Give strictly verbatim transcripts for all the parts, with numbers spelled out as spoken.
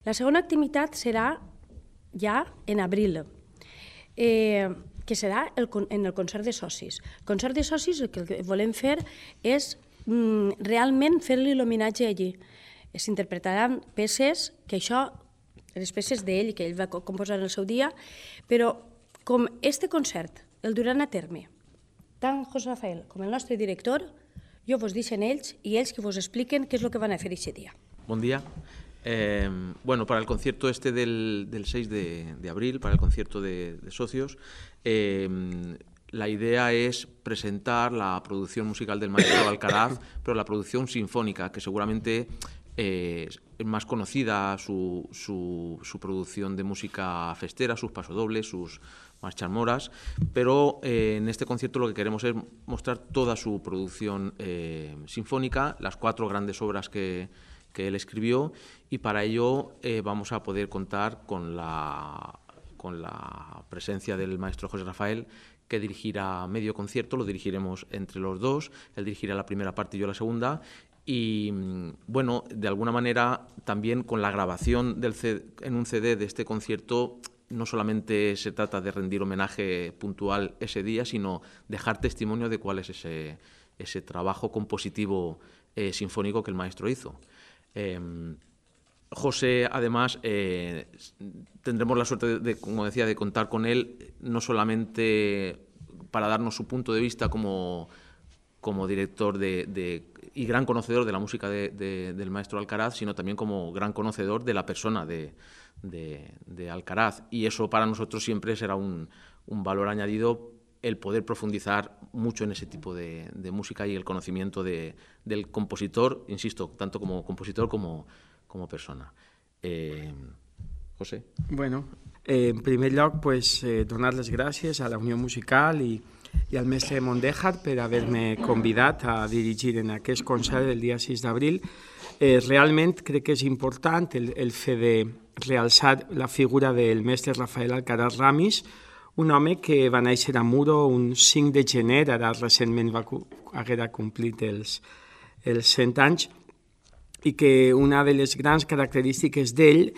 La segona activitat serà ja en abril, eh, que serà el, en el concert de socis. El concert de socis el que volem fer és mm, realment fer-li l'homenatge allí. S'interpretaran peces, que això, les peces d'ell, que ell va composar en el seu dia, però com este concert el duran a terme, tant José Rafael com el nostre director, jo vos deixen ells i ells que vos expliquen què és el que van a fer aquest dia. Bon dia. Eh, bueno, para el concierto este del, del seis de, de abril, para el concierto de, de socios, eh, la idea es presentar la producción musical del maestro Alcaraz, pero la producción sinfónica, que seguramente eh, es más conocida, su, su, su producción de música festera, sus pasodobles, sus marchas moras, pero eh, en este concierto lo que queremos es mostrar toda su producción eh, sinfónica, las cuatro grandes obras que, que él escribió, y para ello eh, vamos a poder contar con la, con la presencia del maestro José Rafael, que dirigirá medio concierto, lo dirigiremos entre los dos, él dirigirá la primera parte y yo la segunda, y bueno, de alguna manera también con la grabación del C D, en un C D de este concierto, no solamente se trata de rendir homenaje puntual ese día, sino dejar testimonio de cuál es ese, ese trabajo compositivo eh, sinfónico que el maestro hizo. Eh, José, además, eh, tendremos la suerte, de, de, como decía, de contar con él, no solamente para darnos su punto de vista como, como director de, de, y gran conocedor de la música de, de, del maestro Alcaraz, sino también como gran conocedor de la persona de, de, de Alcaraz. Y eso para nosotros siempre será un, un valor añadido, el poder profundizar mucho en ese tipo de, de música y el conocimiento de, del compositor, insisto, tanto como compositor como, como persona. Eh, José. Bueno, eh, en primer lloc, pues, eh, donar les gràcies a la Unió Musical i, i al mestre Mondéjar per haver-me convidat a dirigir en aquest concert del dia sis d'abril. Eh, realment crec que és important el, el fet de realçar la figura del mestre Rafael Alcaraz Ramis, un home que va néixer a Muro un cinc de gener, ara recentment va haver complit els, els cent anys, i que una de les grans característiques d'ell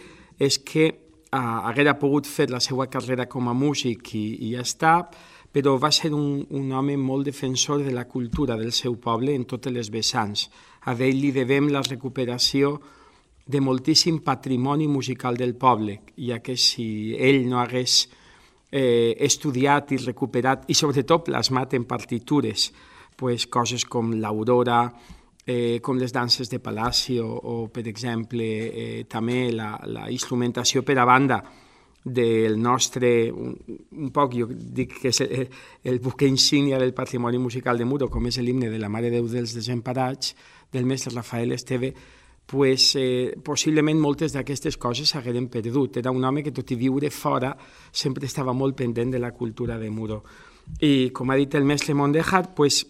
és que uh, haguera pogut fer la seva carrera com a músic i, i ja està, però va ser un, un home molt defensor de la cultura del seu poble en totes les vessants. A ell li devem la recuperació de moltíssim patrimoni musical del poble, ja que si ell no hagués eh, estudiat i recuperat, i sobretot plasmat en partitures, pues, coses com l'Aurora, Eh, com les danses de Palacio o, per exemple, eh, també la, la instrumentació per a banda del nostre, un, un poc, jo dic que és el, el buque insígnia del patrimoni musical de Muro, com és l'himne de la Mare de Déu dels Desemparats, del mestre Rafael Esteve, pues, eh, possiblement moltes d'aquestes coses s'hagueren perdut. Era un home que, tot i viure fora, sempre estava molt pendent de la cultura de Muro. I, com ha dit el mestre Mondéjar, pues,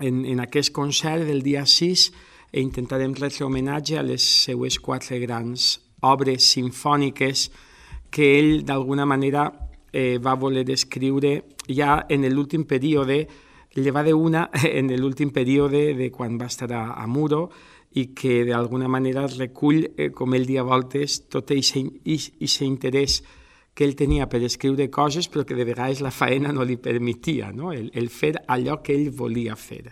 En, en aquest concert del dia sis intentarem retre homenatge a les seues quatre grans obres sinfòniques que ell d'alguna manera eh, va voler escriure ja en l'últim període, llevat d'una en l'últim període de quan va estar a, a Muro, i que d'alguna manera recull, eh, com ell dia voltes, tot aquest interès que ell tenia per escriure coses, però que de vegades la faena no li permetia, no? el, el fer allò que ell volia fer.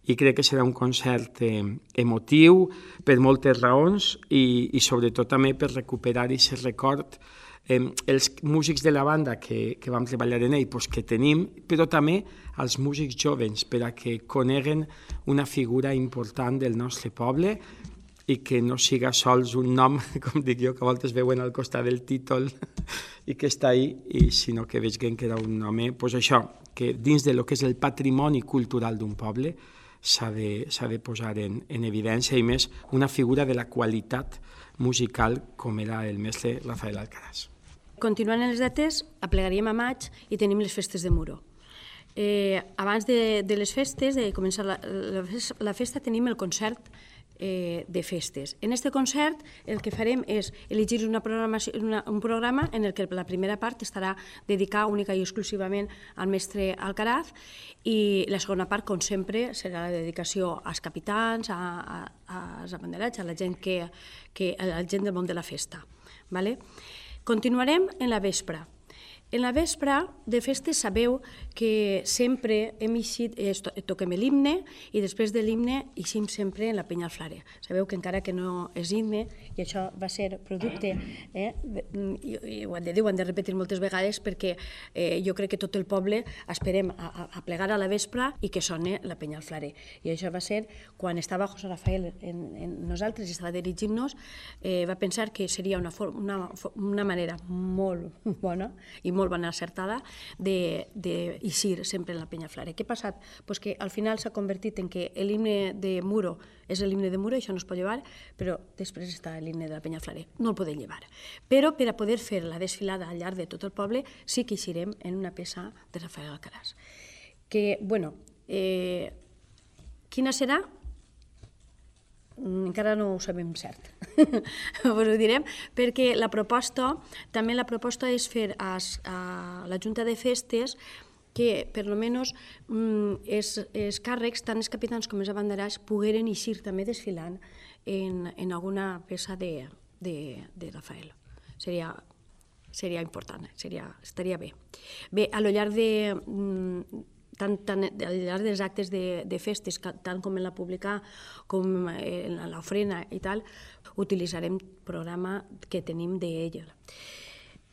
I crec que serà un concert eh, emotiu per moltes raons i, i sobretot també per recuperar aquest record. Eh, els músics de la banda que, que vam treballar en ell, pues, que tenim, però també els músics jovens, per a que coneguen una figura important del nostre poble i que no siga sols un nom, com dic jo, que a voltes veuen al costat del títol i que està ahí, i sinó que vegin que era un home, pues això, que dins de lo que és el patrimoni cultural d'un poble s'ha de, s'ha de posar en, en evidència, i més una figura de la qualitat musical com era el mestre Rafael Alcaraz. Continuant en les dates, aplegaríem a maig i tenim les festes de Muro. Eh, abans de, de les festes, de començar la, la, la festa, tenim el concert eh, de festes. En aquest concert el que farem és elegir una programació, una, un programa en el que la primera part estarà dedicada única i exclusivament al mestre Alcaraz i la segona part, com sempre, serà la dedicació als capitans, a, a, als abanderats, a la gent, que, que, a la gent del món de la festa. Vale? Continuarem en la vespra. En la vespra de festes sabeu que sempre hem eixit, eh, toquem l'himne i després de l'himne eixim sempre en la penya al Flarer. Sabeu que encara que no és himne, i això va ser producte, eh, i, i ho han de dir, ho han de repetir moltes vegades perquè eh, jo crec que tot el poble esperem a, a plegar a la vespre i que soni la penya al Flarer. I això va ser quan estava José Rafael en, en nosaltres i estava dirigint-nos, eh, va pensar que seria una, una, una manera molt bona i molt bona acertada d'eixir sempre en la penya Flarer. Què ha passat? Pues que al final s'ha convertit en que l'himne de Muro és l'himne de Muro, això no es pot llevar, però després està l'himne de la penya Flarer. No el podem llevar. Però per a poder fer la desfilada al llarg de tot el poble sí que eixirem en una peça de Rafael Alcaraz. Que, bueno, eh, quina serà? Encara no ho sabem cert, però ho direm, perquè la proposta, també la proposta és fer a, a la Junta de Festes que, per almenys, els, els càrrecs, tant els capitans com els abanderats, pogueren eixir també desfilant en, en alguna peça de, de, de Rafael. Seria, seria important, seria, estaria bé. Bé, a lo llarg de... Tant, tant al llarg dels actes de, de festes, tant com en la pública com en l'ofrena i tal, utilitzarem el programa que tenim d'ella.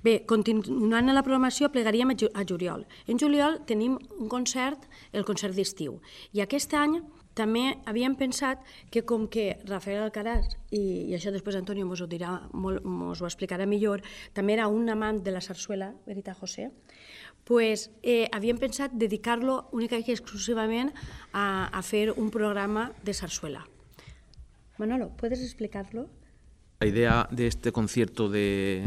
Bé, continuant en la programació, plegaríem a juliol. En juliol tenim un concert, el concert d'estiu. I aquest any també havíem pensat que com que Rafael Alcaraz, i, i això després Antonio mos ho dirà, mos ho explicarà millor, també era un amant de la sarsuela, veritat, José? Pues eh, havíem pensat dedicar-lo únicament i exclusivament a, a fer un programa de sarsuela. Manolo, ¿puedes explicarlo? La idea de este concierto de,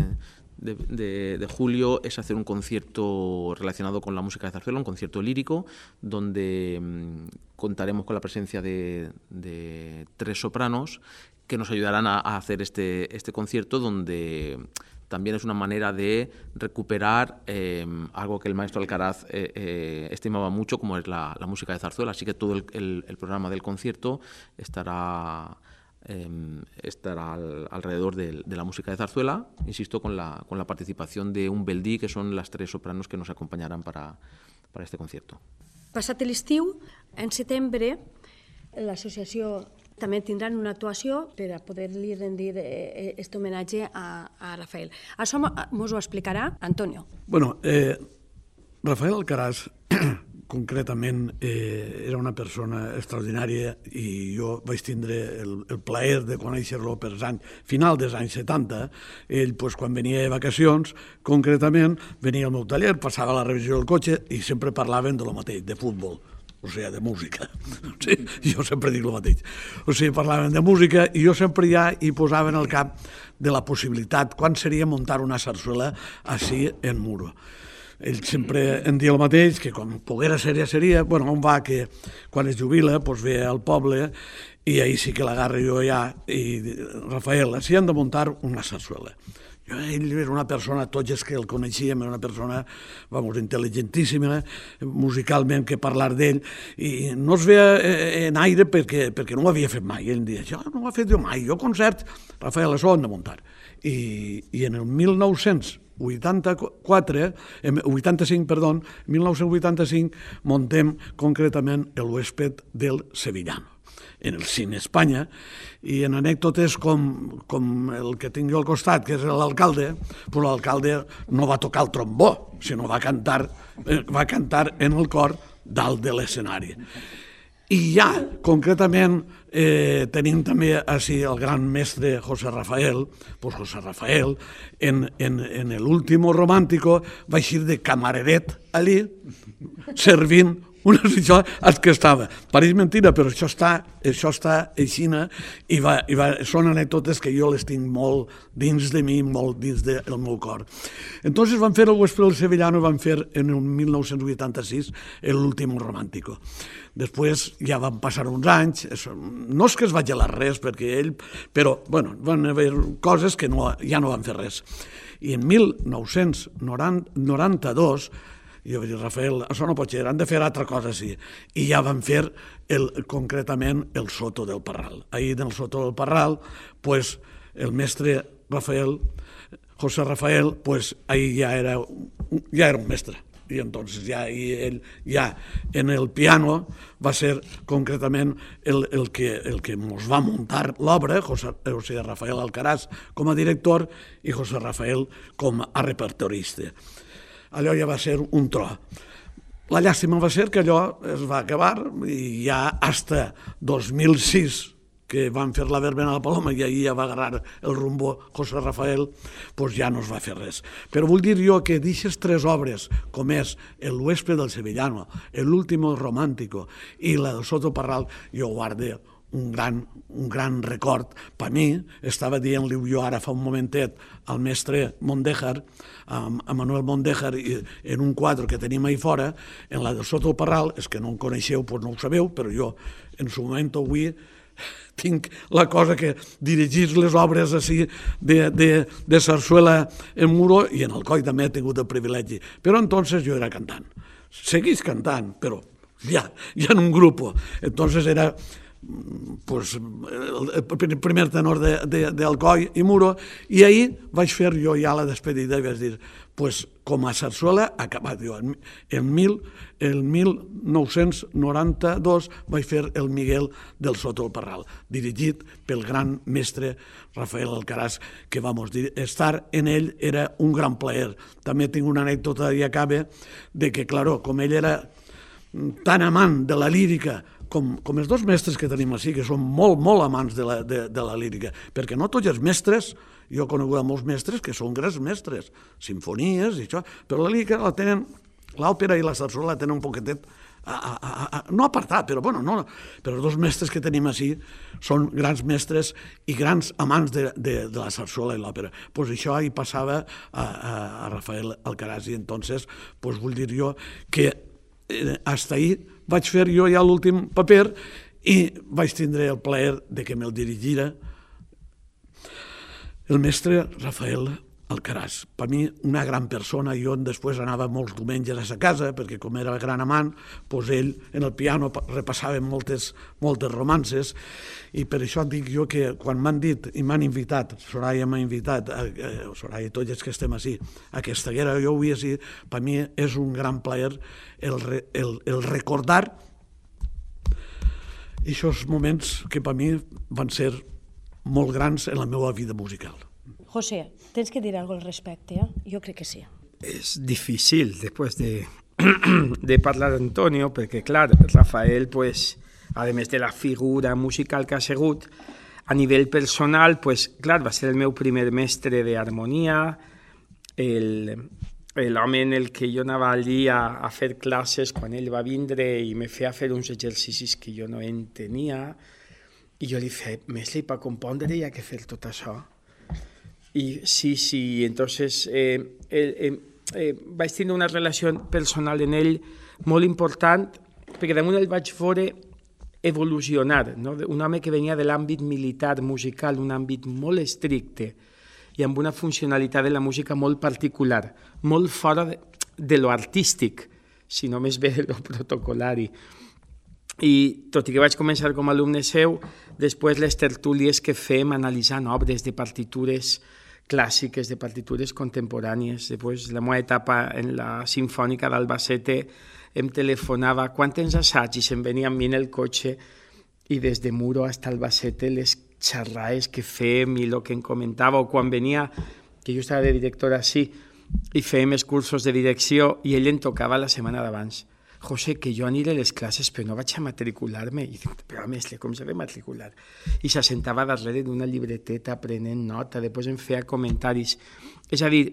de, de, de julio es hacer un concierto relacionado con la música de zarzuela, un concierto lírico, donde mmm, contaremos con la presencia de, de tres sopranos que nos ayudarán a, a hacer este, este concierto, donde también es una manera de recuperar eh, algo que el maestro Alcaraz eh, eh, estimaba mucho, como es la, la música de zarzuela. Así que todo el, el, el programa del concierto estará, eh, estará al, alrededor de, de la música de zarzuela, insisto, con la, con la participación de un beldí, que son las tres sopranos que nos acompañarán para, para este concierto. Passat l'estiu, en setembre, l'associació també tindran una actuació per a poder-li rendir aquest homenatge a, a Rafael. Això mos ho explicarà Antonio. Bueno, eh, Rafael Alcaraz, concretament, eh, era una persona extraordinària i jo vaig tindre el, el plaer de conèixer-lo per anys, final dels anys setanta. Ell, pues, quan venia de vacacions, concretament, venia al meu taller, passava la revisió del cotxe i sempre parlaven de lo mateix, de futbol. O sigui, de música. Sí, jo sempre dic el mateix. O sigui, parlaven de música i jo sempre ja hi posava en el cap de la possibilitat, quan seria muntar una sarsuela així en Muro. Ell sempre em dia el mateix, que quan poguera ser ja seria, bueno, on va que quan es jubila, doncs ve al poble i ahir sí que l'agarro jo ja, i Rafael, així han de muntar una sarsuela. Ell era una persona, tots els que el coneixíem, era una persona, vamos, intel·ligentíssima, musicalment, que parlar d'ell, i no es veia en aire perquè, perquè no ho havia fet mai. Ell em deia, jo no ho he fet jo mai, jo concert, Rafael, això ho hem de muntar. I, i en el mil nou-cents vuitanta-quatre, vuitanta-cinc, perdó, mil nou-cents vuitanta-cinc, montem concretament el huésped del Sevillano, en el Cine Espanya, i en anècdotes com, com el que tinc jo al costat, que és l'alcalde, doncs l'alcalde no va tocar el trombó, sinó va cantar, va cantar en el cor dalt de l'escenari. I ja, concretament, eh, tenim també així el gran mestre José Rafael, doncs José Rafael, en, en, en l'último romàntico, va eixir de camareret allí, servint una, això és que estava. Pareix mentida, però això està, això està aixina i, va, i va, són anècdotes que jo les tinc molt dins de mi, molt dins del meu cor. Entonces van fer el Huésped del Sevillano, van fer en el mil nou-cents vuitanta-sis l'Último Romántico. Després ja van passar uns anys, no és que es va gelar res, perquè ell, però bueno, van haver coses que no, ja no van fer res. I en mil nou-cents noranta-dos, jo vaig dir, Rafael, això no pot ser, han de fer altra cosa, sí. I ja van fer el, concretament el Soto del Parral. Ahir en el Soto del Parral, pues, el mestre Rafael, José Rafael, pues, ahir ja era, ja era un mestre. I entonces ja i ell ja en el piano va ser concretament el, el, que, el que ens va muntar l'obra, José, José Rafael Alcaraz com a director i José Rafael com a repertorista. Allò ja va ser un tro. La llàstima va ser que allò es va acabar i ja hasta dos mil sis, que van fer la verbena a la Paloma i ahir ja va agarrar el rumbo José Rafael, doncs ja no es va fer res. Però vull dir jo que d'aquestes tres obres, com és El Huésped del Sevillano, L'Último Romántico i la del Soto Parral, jo guardo un gran, un gran record. Per mi, estava dient-li jo ara fa un momentet al mestre Mondéjar, a Manuel Mondéjar, en un quadre que tenim ahí fora, en la del Soto Parral, és que no en coneixeu, doncs no ho sabeu, però jo en su moment avui tinc la cosa que dirigir les obres així de, de, de sarsuela en Muro, i en Alcoi també he tingut el privilegi. Però entonces jo era cantant. Seguís cantant, però ja, ja en un grup. Entonces era pues, el primer tenor d'Alcoi i Muro, i ahir vaig fer jo ja la despedida i vaig dir, pues, com a sarsuela acabat jo. En mil nou-cents noranta-dos vaig fer el Miguel del Soto del Parral, dirigit pel gran mestre Rafael Alcaraz, que, vamos dir, estar en ell era un gran plaer. També tinc una anècdota i acabe de que, claro, com ell era tan amant de la lírica com, com els dos mestres que tenim així, que són molt, molt amants de la, de, de la lírica, perquè no tots els mestres, jo he conegut molts mestres que són grans mestres, sinfonies i això, però la lírica la tenen, l'òpera i la sarsuela la tenen un poquetet, a, a, a, no apartat, però bueno, no, però els dos mestres que tenim així són grans mestres i grans amants de, de, de la sarsuela i l'òpera. Pues això hi passava a, a, a Rafael Alcaraz, i entonces pues vull dir jo que eh, hasta ahir vaig fer jo ja l'últim paper i vaig tindre el plaer de que me'l dirigira el mestre Rafael Alcaraz. Per mi, una gran persona. Jo després anava molts diumenges a sa casa, perquè com era gran amant, doncs ell en el piano repassava moltes, moltes romances, i per això dic jo que quan m'han dit i m'han invitat, Soraya m'ha invitat, eh, Soraya i tots els que estem així, a que estiguera jo avui així, per mi és un gran plaer el, el, el recordar aquests moments que per mi van ser molt grans en la meva vida musical. José, tens que dir alguna cosa al respecte, eh? Jo crec que sí. Es difícil después de, de parlar d'Antonio, perquè, clar, Rafael, pues, además de la figura musical que ha sigut, a nivell personal, pues, clar, va ser el meu primer mestre d'harmonia, l'home en el que jo anava allí a, a fer classes quan ell va vindre i me feia fer uns exercicis que jo no entenia, i jo li feia, mestre, per compondre hi ha que fer tot això. Y sí, sí, entonces eh, eh, eh, vaig tenir una relació personal en ell molt important, perquè damunt el vaig veure evolucionar, no? Un home que venia de l'àmbit militar, musical, un àmbit molt estricte i amb una funcionalitat de la música molt particular, molt fora de, de lo artístic, si no més bé de lo protocolari. I tot i que vaig començar com a alumne seu, després les tertúlies que fem analitzant obres de partitures clàssiques, de partitures contemporànies. Després, la meva etapa en la Sinfònica d'Albacete, em telefonava quan tens assaig i se'm venia amb mi en el cotxe i des de Muro fins a Albacete les xerrades que fem i el que em comentava, o quan venia, que jo estava de director així, i fèiem els cursos de direcció i ell em tocava la setmana d'abans. José, que jo aniré a les classes però no vaig a matricular-me. I dic, però mestre, com s'ha de matricular? I s'assentava darrere d'una llibreteta prenent nota, després em feia comentaris. És a dir,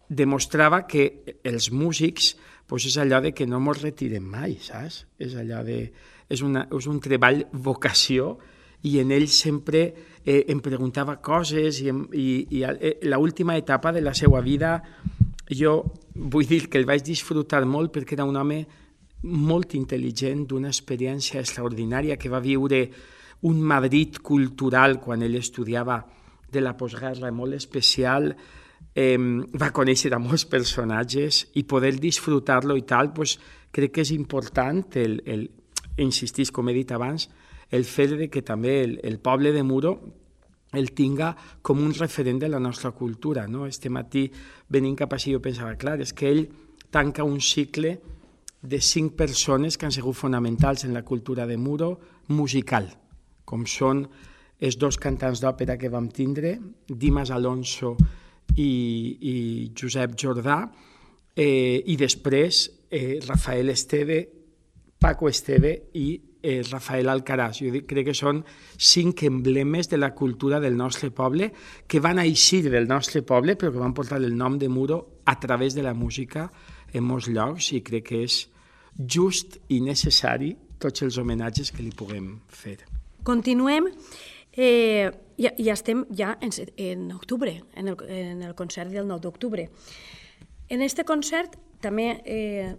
demostrava que els músics pues és allò de que no ens retirem mai, saps? És allò de... És, una, és un treball vocació i en ell sempre eh, em preguntava coses i, i, i eh, l'última etapa de la seva vida jo vull dir que el vaig disfrutar molt perquè era un home molt intel·ligent, d'una experiència extraordinària, que va viure un Madrid cultural quan ell estudiava de la postguerra molt especial, eh, va conèixer a molts personatges i poder disfrutar-lo i tal, pues, crec que és important, el, el, insistís, com he dit abans, el fet de que també el, el poble de Muro el tinga com un referent de la nostra cultura. No? Este matí, venint cap així, jo pensava, clar, és que ell tanca un cicle de cinc persones que han sigut fonamentals en la cultura de Muro musical, com són els dos cantants d'òpera que vam tindre, Dimas Alonso i, i Josep Jordà, eh, i després eh, Rafael Esteve, Paco Esteve i eh, Rafael Alcaraz. Jo dic, crec que són cinc emblemes de la cultura del nostre poble que van eixir del nostre poble però que van portar el nom de Muro a través de la música en molts llocs i crec que és just i necessari tots els homenatges que li puguem fer. Continuem. Eh, ja, ja estem ja en, en octubre, en el, en el concert del nou d'octubre. En aquest concert també eh,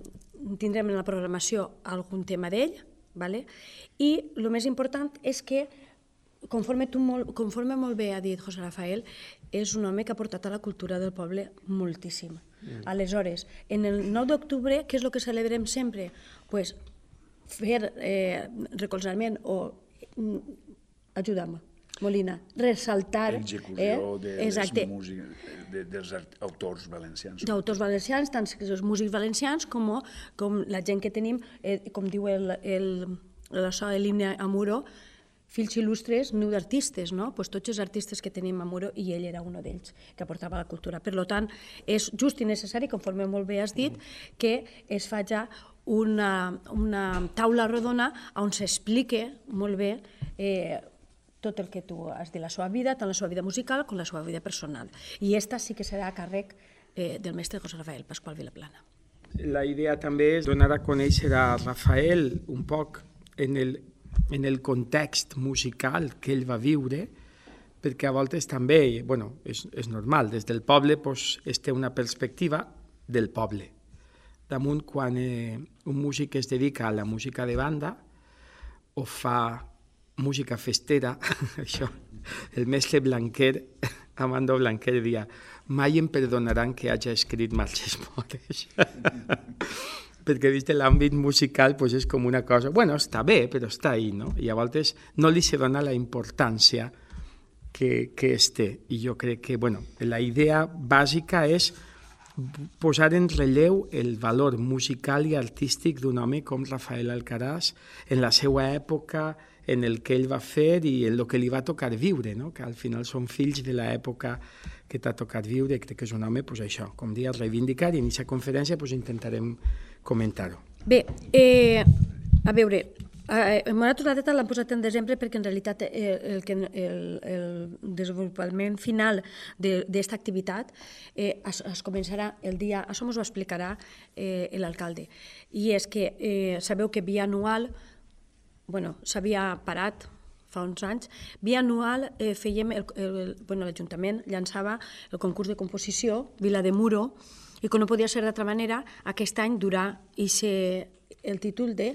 tindrem en la programació algun tema d'ell, ¿vale? I el més important és que, conforme, tu molt, conforme molt bé ha dit José Rafael, és un home que ha portat a la cultura del poble moltíssim. Mm. Aleshores, en el nou d'octubre, què és el que celebrem sempre? Pues, fer eh, recolzament o ajudar-me, Molina, ressaltar... L'execució eh, de exacte, les música, de, dels autors valencians. D'autors valencians, tant els músics valencians com, com la gent que tenim, eh, com diu el, el, l'himne a Muro, fills il·lustres, niu d'artistes, no? Pues tots els artistes que tenim a Muro, i ell era un d'ells que aportava la cultura. Per tant, és just i necessari, conforme molt bé has dit, que es faci una, una taula rodona on s'explique molt bé eh, tot el que tu has dit, la seva vida, tant la seva vida musical com la seva vida personal. I esta sí que serà a càrrec eh, del mestre José Rafael Pascual Vilaplana. La idea també és donar a conèixer a Rafael un poc en el, en el context musical que ell va viure, perquè a voltes també, bueno, és, és normal, des del poble pues, es té una perspectiva del poble. Damunt, quan eh, un músic es dedica a la música de banda o fa música festera, això, el mestre Blanquer, Amando Blanquer, dia, mai em perdonaran que hagi escrit marxes modes. Perquè des de l'àmbit musical pues, és com una cosa, bueno, està bé, però està ahí, no? I a voltes no li se dona la importància que, que es té. I jo crec que, bueno, la idea bàsica és posar en relleu el valor musical i artístic d'un home com Rafael Alcaraz en la seva època, en el que ell va fer i en el que li va tocar viure, no? Que al final són fills de l'època que t'ha tocat viure. Crec que és un home, pues, això, com dia, reivindicar, i en aquesta conferència pues, intentarem comentar-ho. Bé, eh, a veure, eh, Moratos la Teta l'han posat en desembre perquè en realitat eh, el, el, el desenvolupament final d'aquesta activitat eh, es, es començarà el dia, això ens ho explicarà eh, l'alcalde, i és que eh, sabeu que bianual, bueno, s'havia parat fa uns anys, bianual eh, fèiem, el, el, bueno, l'Ajuntament llançava el concurs de composició Vila de Muro, i com no podia ser d'altra manera, aquest any durà el títol de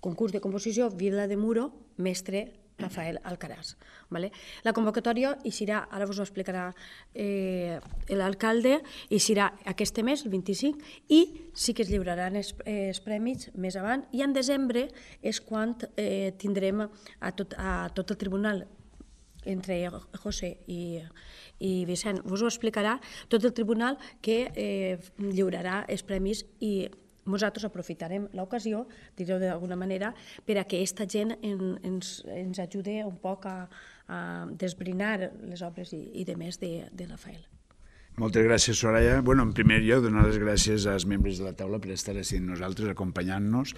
concurs de composició Vila de Muro, mestre Rafael Alcaraz. Vale? La convocatòria hi serà, ara us ho explicarà eh, l'alcalde, hi serà aquest mes, el vint-i-cinc, i sí que es lliuraran els, els premis més avant, i en desembre és quan eh, tindrem a tot, a tot el tribunal, entre José i, i Vicent, us ho explicarà tot el tribunal que eh, lliurarà els premis, i nosaltres aprofitarem l'ocasió, direu d'alguna manera, per a que aquesta gent en, ens, ens ajude un poc a, a desbrinar les obres i, i de més de, de Rafael. Moltes gràcies, Soraya. Bueno, en primer lloc, donar les gràcies als membres de la taula per estar així amb nosaltres, acompanyant-nos,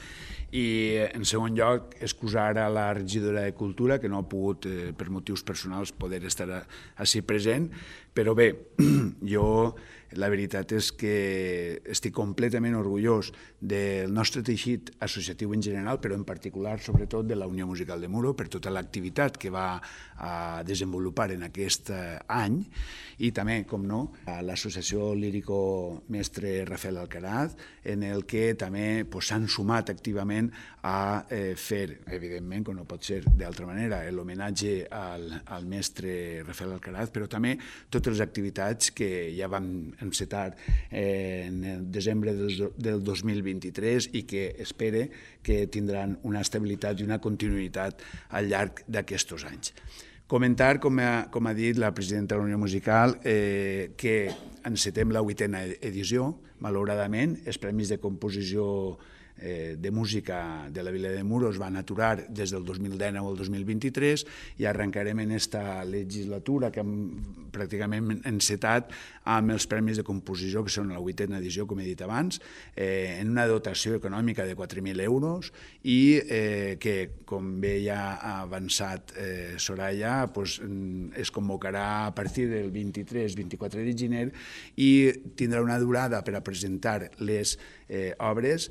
i en segon lloc, excusar a la regidora de Cultura, que no ha pogut, eh, per motius personals, poder estar així present, Però bé, jo la veritat és que estic completament orgullós del nostre teixit associatiu en general, però en particular, sobretot, de la Unió Musical de Muro, per tota l'activitat que va a desenvolupar en aquest any, i també, com no, a l'Associació Lírico Mestre Rafael Alcaraz, en el que també s'han sumat activament a eh, fer, evidentment, com no pot ser d'altra manera, l'homenatge al, al mestre Rafael Alcaraz, però també totes les activitats que ja vam encetar eh, en el desembre del, del dos mil vint-i-tres i que espere que tindran una estabilitat i una continuïtat al llarg d'aquests anys. Comentar, com ha, com ha dit la presidenta de la Unió Musical, eh, que encetem la vuitena edició, malauradament. Els Premis de Composició eh, de Música de la Vila de Muro es van aturar des del dos mil dinou al dos mil vint-i-tres i arrencarem en aquesta legislatura que hem pràcticament encetat amb els Premis de Composició, que són la vuitena edició, com he dit abans, eh, en una dotació econòmica de quatre mil euros i eh, que, com bé ja ha avançat eh, Soraya, pues, es convocarà a partir del vint-i-tres vint-i-quatre de gener i tindrà una durada per a presentar les eh, obres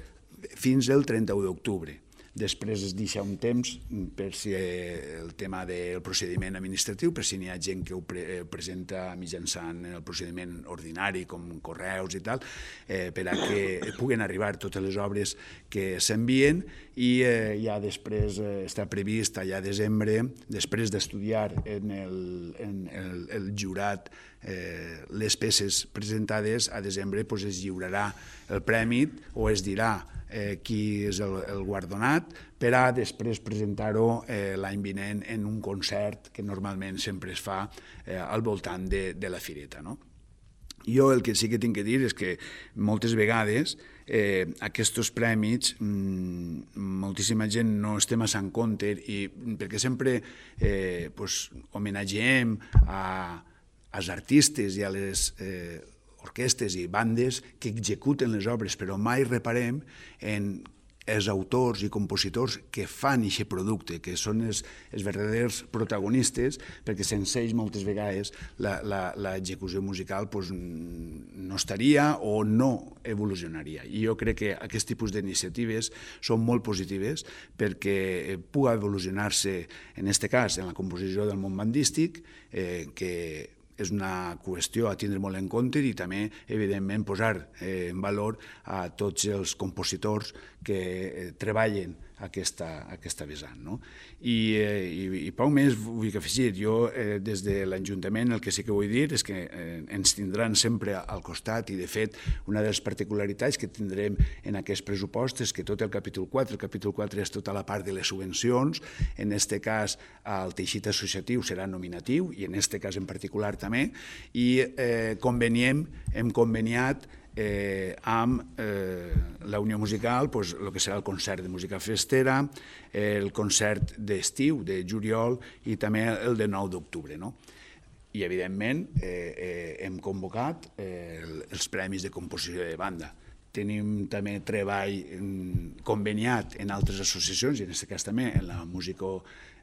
fins al trenta-u d'octubre. Després es deixa un temps per si el tema del procediment administratiu, per si n'hi ha gent que ho pre presenta mitjançant el procediment ordinari, com correus i tal, eh, per a que puguen arribar totes les obres que s'envien i eh, ja després eh, està previst allà a desembre, després d'estudiar en, el, en el, el jurat eh, les peces presentades, a desembre pues, es lliurarà el premi o es dirà Eh, qui és el, el guardonat, per a després presentar-ho eh, l'any vinent en un concert que normalment sempre es fa eh, al voltant de, de la fireta, no? Jo el que sí que tinc que dir és que moltes vegades eh, aquests premis mmm, moltíssima gent no es té massa en compte i perquè sempre eh, pues, homenatgem a, als artistes i a les eh, orquestes i bandes que executen les obres, però mai reparem en els autors i compositors que fan aquest producte, que són els, els verdaders protagonistes, perquè sense ells moltes vegades l'execució musical pues, no estaria o no evolucionaria. I jo crec que aquest tipus d'iniciatives són molt positives perquè pugui evolucionar-se, en aquest cas, en la composició del món bandístic, eh, que és una qüestió a tindre molt en compte i també, evidentment, posar eh, en valor a tots els compositors que eh, treballen aquesta, aquesta vessant. No? I, eh, i, I poc més vull afegir. Jo, eh, des de l'Ajuntament, el que sí que vull dir és que eh, ens tindran sempre al costat i, de fet, una de les particularitats que tindrem en aquest pressupost és que tot el capítol quatre, el capítol quatre és tota la part de les subvencions, en aquest cas el teixit associatiu serà nominatiu i en aquest cas en particular també, i eh, conveniem, hem conveniat Eh, amb eh, la Unió Musical, pues, el que serà el concert de música festera, eh, el concert d'estiu, de juliol, i també el de nou d'octubre. No? I, evidentment, eh, eh, hem convocat eh, els Premis de Composició de Banda. Tenim també treball conveniat en altres associacions, i en aquest cas també en la música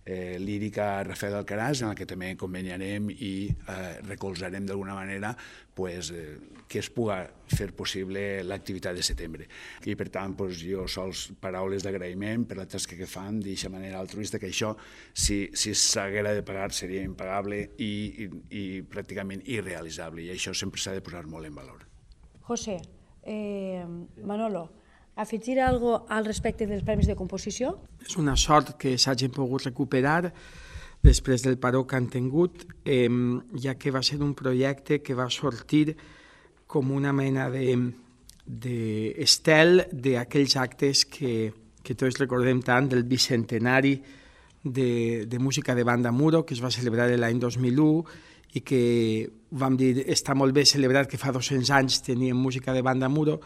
Eh, lírica Rafael Alcaraz, en la que també conveniarem i eh, recolzarem d'alguna manera pues, eh, que es pugui fer possible l'activitat de setembre. I per tant, pues, jo sols paraules d'agraïment per la tasca que fan d'aquesta manera altruista, que això, si, si s'haguera de pagar, seria impagable i, i, i pràcticament irrealitzable, i això sempre s'ha de posar molt en valor. José, eh, Manolo, afegir alguna cosa al respecte dels Premis de Composició? És una sort que s'hagin pogut recuperar després del paró que han tingut, eh, ja que va ser un projecte que va sortir com una mena d'estel de, d'aquells actes que, que tots recordem tant del bicentenari de, de música de banda Muro, que es va celebrar l'any dos mil u, i que vam dir, està molt bé celebrar que fa dos-cents anys teníem música de banda Muro,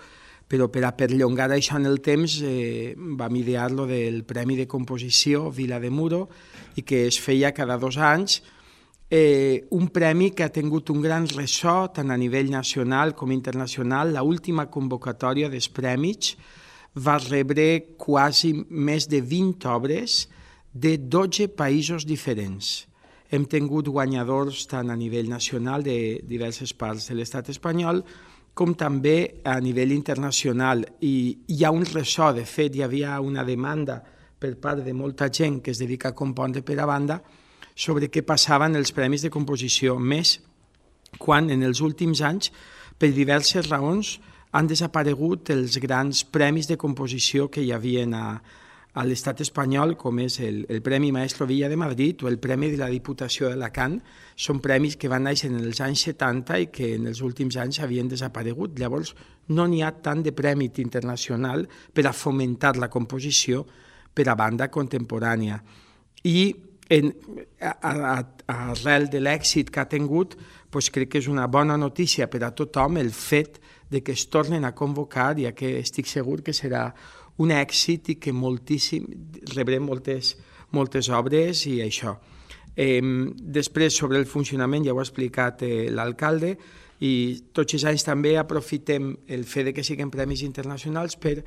però per a perllongar això en el temps eh, vam idear lo del Premi de Composició Vila de Muro i que es feia cada dos anys, eh, un premi que ha tingut un gran ressò tant a nivell nacional com internacional. L'última convocatòria dels premis va rebre quasi més de vint obres de dotze països diferents. hem tingut guanyadors tant a nivell nacional de diverses parts de l'estat espanyol com també a nivell internacional. I hi ha un ressò, de fet, hi havia una demanda per part de molta gent que es dedica a compondre per a banda sobre què passava en els premis de composició, més quan en els últims anys, per diverses raons, han desaparegut els grans premis de composició que hi havia a, a l'estat espanyol, com és el, el Premi Maestro Villa de Madrid o el Premi de la Diputació d'Alacant. Són premis que van néixer en els anys setanta i que en els últims anys havien desaparegut. Llavors, no n'hi ha tant de premi internacional per a fomentar la composició per a banda contemporània. I en, a, a, arrel de l'èxit que ha tingut, doncs crec que és una bona notícia per a tothom el fet de que es tornen a convocar, ja que estic segur que serà un èxit i que moltíssim, rebrem moltes, moltes obres i això. Eh, després, sobre el funcionament, ja ho ha explicat eh, l'alcalde, i tots els anys també aprofitem el fet de que siguin premis internacionals per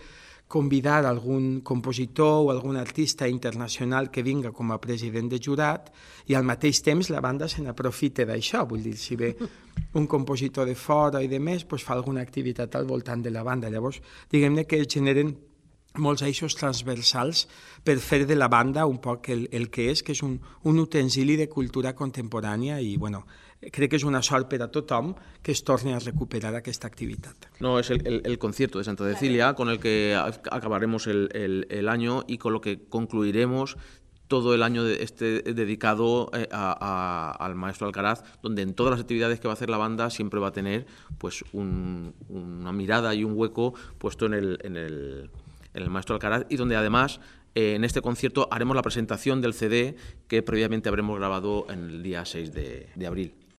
convidar algun compositor o algun artista internacional que vinga com a president de jurat i al mateix temps la banda se n'aprofita d'això. Vull dir, si ve un compositor de fora i de més, doncs fa alguna activitat al voltant de la banda. Llavors, diguem-ne que es generen molts eixos transversals per fer de la banda un poc el, el que és, que és un, un utensili de cultura contemporània i, bueno, crec que es una sort per a tothom que es torni a recuperar aquesta activitat. No, es el, el, el concierto de Santa Cecilia con el que acabaremos el, el, el año y con lo que concluiremos todo el año de este dedicado a, a, al maestro Alcaraz, donde en todas las actividades que va a hacer la banda siempre va a tener pues un, una mirada y un hueco puesto en el, en el, en el maestro Alcaraz, y donde además eh, en este concierto haremos la presentación del C D que previamente habremos grabado en el día seis de abril.